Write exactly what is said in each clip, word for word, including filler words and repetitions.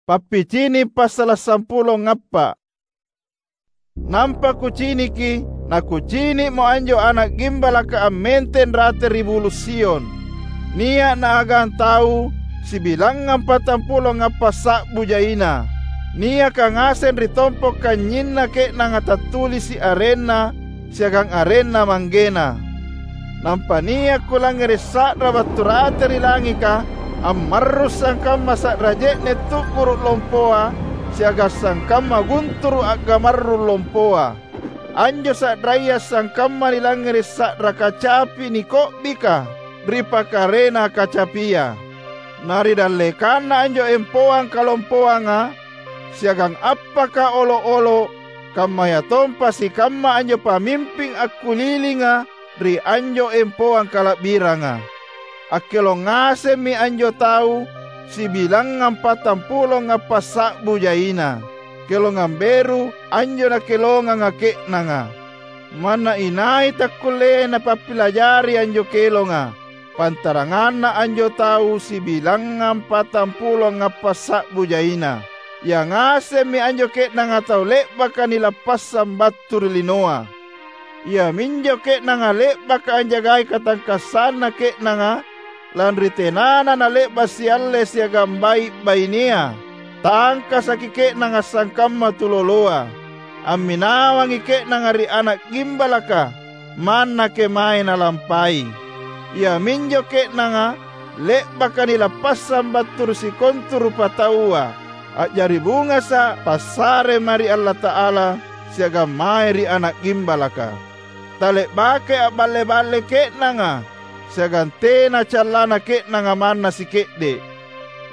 Pappicini’ passala’ sampulo ngappa’. Nampa kuciniki, nakucini'mo anjo Ana’ Gimbalaka ammenteng rate ri Bulu’ Sion. Nia’ naagang tau sibilangngang patampulo ngappa’ sa'bu jaina, niaka ngaseng ri tompo’ kanynyinna ke'nanga tattulisi’ arenna siagang arenna manggena. Nampa nia’ kulangngere’ sa'ra battu rate ri langika, ammarrung sangkamma sa'ra je'ne’ tu'guru’ lompoa siagang sangkamma gunturu’ a'gamarrung lompoa. Anjo sa'raya sangkamma nilangngere’ sa'ra kacapi niko'bika ri pakarena kacapia. Na ri dallekanna anjo empoang kalompoanga, siagang appaka olo’-olo’, kammayatompa sikamma anjo pamimping akkulilinga ri anjo empoang kala'biranga. Akkelong ngasemmi anjo tau sibilangngang patampulo ngappa’ sa'bu jaina, kelongang beru anjo nakelonganga ke'nanga. Manna inai takkulleai napappilajari anjo kelonga, pantaranganna anjo tau sibilangngang patampulo ngappa’ sa'bu jaina. Ia ngasemmi anjo ke'nanga tau le'baka nilappassang battu ri linoa. Iaminjo ke'nanga le'baka anjagai katangkassanna ke'nanga, lanri tenana nale'ba’ sialle siagang bai’-bainea, tangkasaki ke'nanga sangkamma tuloloa. Amminawangi ke'nanga ri Ana’ Gimbalaka manna kemae nalampai. Iaminjo ke'nanga le'baka nilappassang battu ri sikontu rupataua, a'jari bungasa’ passare mae ri Allata'ala siagang mae ri Ana’ Gimbalaka. Tale'bakai a'balle-balle ke'nanga, siagang tena callana ke'nanga manna sike'de’.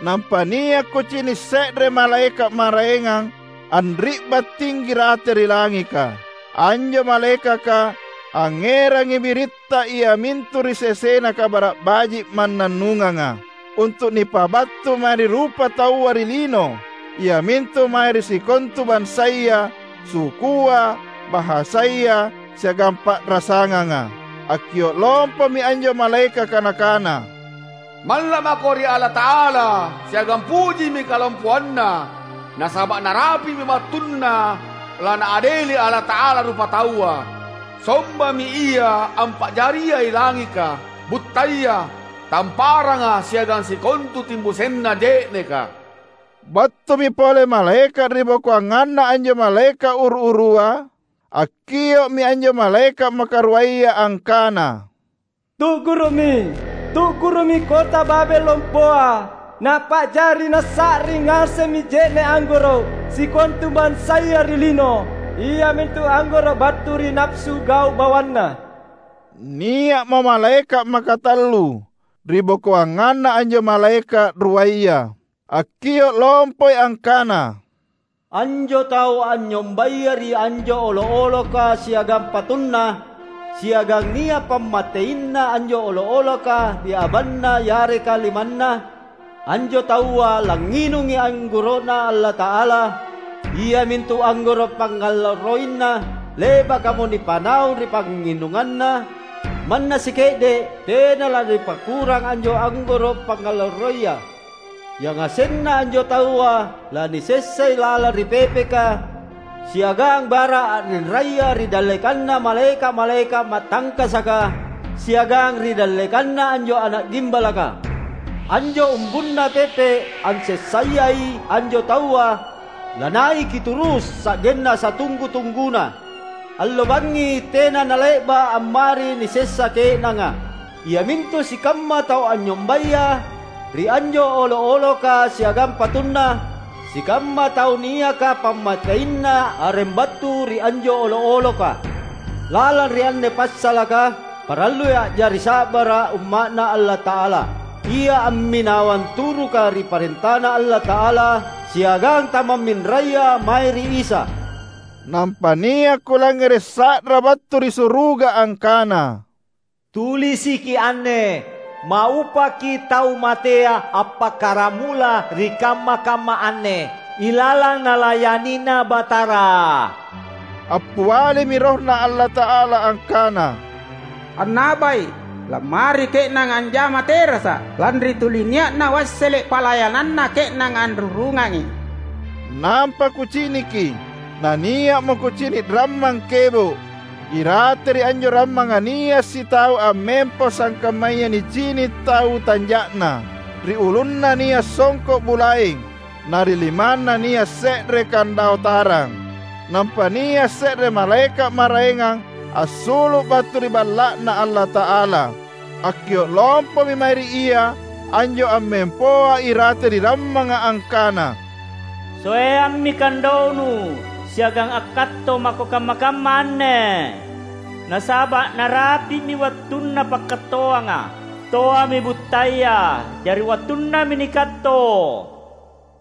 Nampa nia’ kucini’ se're malaeka’ maraengang anri'bang tinggi rate ri langika. Anjo malaekaka angngerangi biritta iamintu ri sesena Kabara’ Baji’ mannannunganga, untu’ nipabattu mae ri rupataua ri lino, iamintu mae ri sikontu bansaya, sukua, bahasaya, siagang pa'rasanganga. Akkio’ lompomi anjo malaekaka nakana, "Malla’ mako ri Allata'ala, siagang pujimi kalompoanNa, nasaba’ narapi'mi wattunna laNaadeli Allata'ala rupataua. Sombami Ia ampa'jariai langika, buttaya, tamparanga siagang sikontu timbusenna je'neka." Battumi pole malaeka’ ribokoanganna anjo malaeka’ uru-urua, akkio'mi anjo malaeka’ makaruaya angkana, "Tu'guru'mi! Tu'guru'mi kota Babel lompoa! Napa'jari nasa'ring ngasemmi je'ne’ anggoro’ sikontu bansaya ri lino, iamintu anggoro’ battu ri napsu gau’ bawanna." Nia'mo malaeka’ makatallu ribokoanganna anjo malaeka’ ruaya. Akkio’ lompoi angkana, "Anjo tau anynyombaya ri anjo olo’-oloka siagang patunna, siagang nia’ pammateinna anjo olo’-oloka ri abanna yareka limanna, anjo taua langnginungi anggoro'Na Allata'ala, iamintu anggoro’ pangngalloroina le'bakamo nipanaung ri pangnginunganna. Manna sike'de’ tena lanipakurang anjo anggoro’ pangngalloroia. Yangasenna anjo taua lanisessai lalang ri pepeka, siagang bara a'rinraya ri dallekanna malaeka’-malaeka’ matangkasaka, siagang ri dallekanna anjo Ana’ Gimbalaka. Anjo umbunna pepe ansessayai anjo taua lanaiki turus sa'genna satunggu-tungguna. Allo bangngi tena nale'ba’ ammari nisessa ke'nanga, iamintu sikamma tau anynyombaya ri anjo olo’-oloka siagang patunna, sikamma tau niaka pammateinna areng battu ri anjo olo’-oloka. Lalang ri anne passalaka, parallui a'jari sa'bara’ umma'Na Allata'ala, ia amminawang turuka ri parentaNa Allata'ala siagang tamamminraya mae ri Isa. Nampa nia’ kulangngere’ sa'ra battu ri suruga angkana, "Tulisiki anne, 'Maupaki tau matea appakkaramula ri kamma-kamma anne, ilalang nalayanina Batara.'" Appialimi RohNa Allata'ala angkana, "Annabai! Lammari ke'nanga anjama terasa’, lanri tuli nia'na’ wassele’ palayananna ke'nanga anrurungangi. Nampa kuciniki, nania'mo kucini’ rammang kebo’. Irate ri anjo rammanga nia’ sitau ammempo sangkammaya nicini’ tau tanja'na. Ri ulunna nia’ songko’ bulaeng, na ri limanna nia’ se're kandao tarang. Nampa nia’ se're malaeka’ maraengang assulu’ battu ri Balla'Na Allata'ala. Akkio’ lompomi mae ri ia anjo ammempoa irate ri rammanga angkana, "Soeammi kandonu siagang akkatto mako kamma-kamma anne! Nasaba’ narapi'mi wattunna pakkattoanga. Toami buttaya, jari wattunnami nikatto."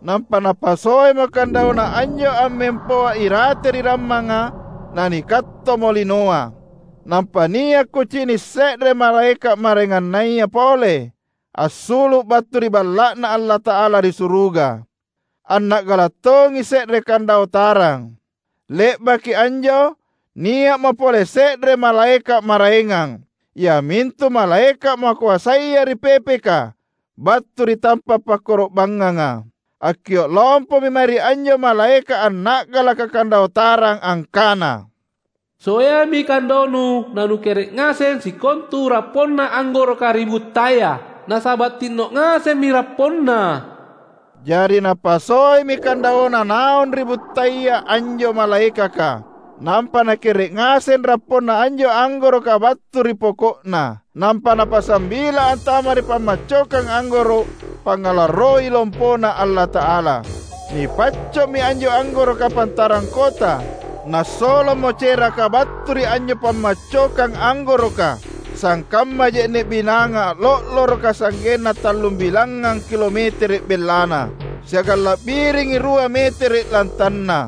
Nampa napasoemo kandauna anjo ammempoa irate ri rammanga, nanikattomo linoa. Nampa nia’ kucini’ se're malaeka’ maraengannaya pole assulu’ battu ri Balla'Na Allata'ala ri suruga. Anna'gala’ tongi se're kandao tarang. Le'baki anjo, nia'mo pole se're malaeka’ maraengang, iamintu malaeka’ makoasaya ri pepeka, battu ri tampa’ pakkoro'bangnganga. Akkio’ lompomi mae ri anjo malaeka’ anna'galaka kandao tarang angkana, "Soeami kandonu nanukere’ ngaseng sikontu rapponna anggoroka ri buttaya, nasaba’ tinno’ ngasemmi rapponna." Jari napasoemi kandaona naung ri buttaya anjo malaekaka, nampa nakere’ ngaseng rapponna anjo anggoroka battu ri poko'na. Nampa napasambila antama ri pammaccokang anggoro’ pangngalarroi lompona Allata'ala. Nipacco'mi anjo anggoroka pantarang kota, nassolomo ceraka battu ri anjo pammaccokang anggoroka, sangkamma je'ne’ binanga lo'loroka sa'genna tallumbilangngang kilometere’ bellana, siagang la'biringi rua metere’ lantanna.